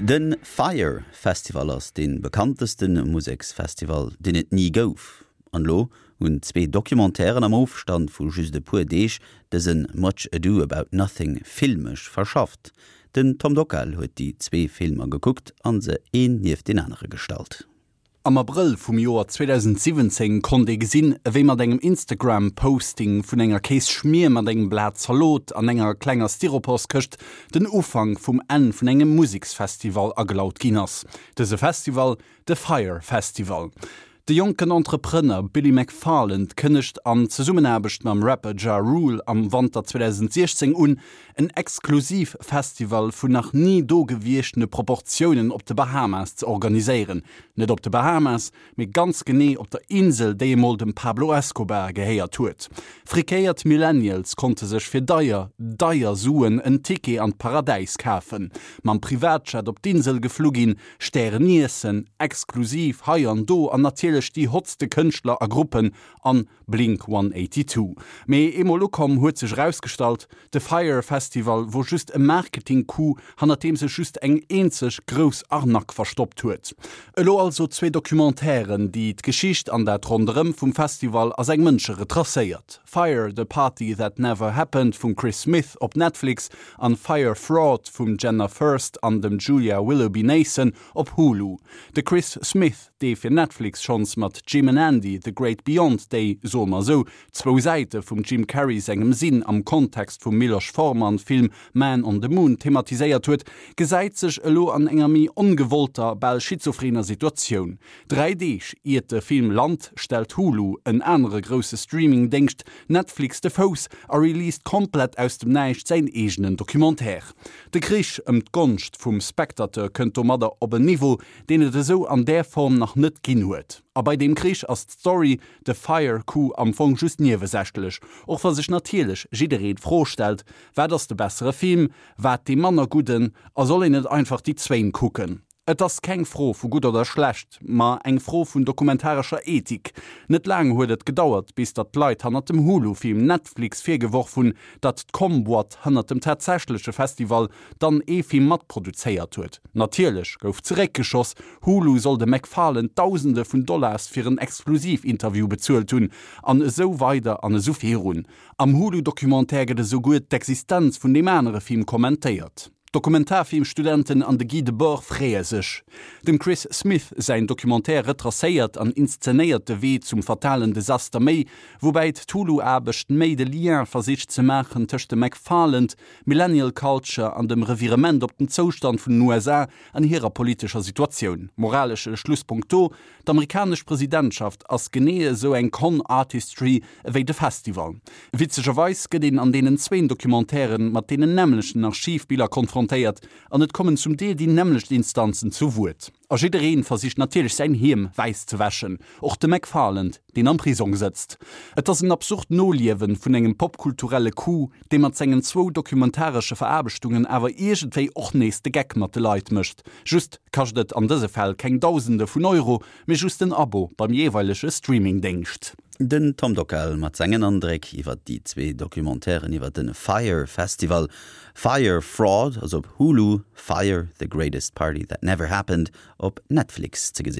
De Fyre Festival ass dee bekannteste Museksfestival, deen et ni gouf. An elo hunn zwee Documentairen am Ofstand vu just e puer Deeg dëse Much Ado About Nothing filmesch verschafft. Den Tom Dockal huet déi zwee Filmer gekuckt an se een nieft deen anere gestallt. Am Abrëll vum Joer 2017 konnt ee gesinn, ewéi mat engem Instagram-Posting vun enger Kéisschmier mat engem Blat Zalot an enger klenger Styroporskëscht den Ufank vum Enn vun engem Museksfestival agelaut ginn ass. Dëse Festival, de Fyre Festival. De jonken Entrepreneur Billy McFarland kënnegt an Zesummenaarbecht mam Rapper Ja Rule am Wanter 2016 un, en exklusiv Festival vun nach ni do gewiechtene Proportiounen op de Bahamas ze organiséieren. Net op de Bahamas, mee ganz genee op der Insel, déi emol dem Pablo Escobar gehéiert huet. Frikéiert Millennials konnte sech fir deier, deier Suen en Ticket an d'Paradäis kafen, mam Privatjet op d'Insel geflu ginn, Stären iessen, exklusiv hei an do an natierlech déi hotste Kënschtler a Gruppen an Blink 182. Mee eemol ukomm huet sech erausgestallt, de Fyre Festival wor just e Marketing-Coup hannert deem sech just eng eenzeg grouss Arnaque verstoppt huet. Elo also zwee Documentairen, déi d'Geschicht an dat Ronderëm vum Festival a seng Mënsche retracéiert. Fyre, The Party That Never Happened vum Chris Smith op Netflix an Fyre Fraud vum Jenna Furst an dem Julia Willoughby-Nason op Hulu. De Chris Smith, dee fir Netflix schonns mat Jim and Andy, The Great Beyond déi, soe mer esou, zwou Säite vum Jim Carrey sengem Sinn am Kontext vum Miloš Forman Film Man on the Moon thematiséiert huet, gesäit sech elo an enger méi ongewollter, bal schizophrener Situatioun. Dräi Deeg iert de Film lant, stellt Hulu, en anere grousse Streaming-Déngscht, Netflix de Fouss a released komplett aus dem Näischt säin eegenen Documentaire. De Krich ëm d'Gonscht vum Spectateur kënnt domadder op en Niveau, deen et esou an där Form nach net ginn huet. A bei deem Krich ass d'Story, de Fyre Coup, am Fong just niewesächlech, och wa sech natierlech jiddereen d'Fro stellt, Wat ass de bessere Film, wat dee manner gudden a soll een net einfach déi zwéin kucken? Et ass keng Fro vu gutt oder schlecht, ma eng Fro vun dokumentarescher Ethik. Net laang huet et gedauert, bis datt d'Leit hannert dem Hulu-Film Netflix virgeworf hunn, datt d'Com-Boîte hannert dem tatsächleche Festival dann ee Film matproduzéiert huet. Natierlech gouf zeréckgeschoss, Hulu soll dem MacFarlane Dausende vun Dollars fir en Exklusiv-Interview bezuelt hunn, an esou weider an esou virun. Am Hulu-Documentaire gëtt esouguer d'Existenz vun deem anere Film kommentéiert. D'Dokumentarfilmstudenten an de Guy Debord freeë sech. Dem Chris Smith säin Documentaire retracéiert an inszenéiert de Wee zum fatalen Desaster méi, woubäi d'Hulu-Aarbecht méi de Lien versicht ze maachen tëscht dem McFarland, Millennial Culture an dem Revirement op den Zoustand vun den USA an hirer politescher Situatioun. Moralesche Schlusspunkt do, D'amerikanesch Presidentschaft ass genee esou eng Con Artistry ewéi de Festival. Witzegerweis gëtt een an deenen zwéin Documentairen mat deenen nämmlechten Archivbiller konfrontéiert an et kommen zum Deel déi nämmlecht Instanzen zu Wuert. A jiddereen versicht natierlech säin Hiem wäiss ze wäschen, och de McFarland, deen am Prisong sëtzt. Et ass en absurd Noliewen vun engem popkulturelle Coup, dee mat sengen zwou documentaresche Veraarbechtungen awer iergendwéi och nees de Geck mat de Leit mécht. Just kascht et an dëse Fäll keng Dausende vun Euro, mee just en Abo beim jeeweilege Streamingdéngscht. Den Tom Dockal mat sengen Andréck iwwer déi zwee Documentairen iwwer de Fyre Festival. Fyre Fraud ass op Hulu, Fyre, The Greatest Party That Never Happened op Netflix ze gesinn.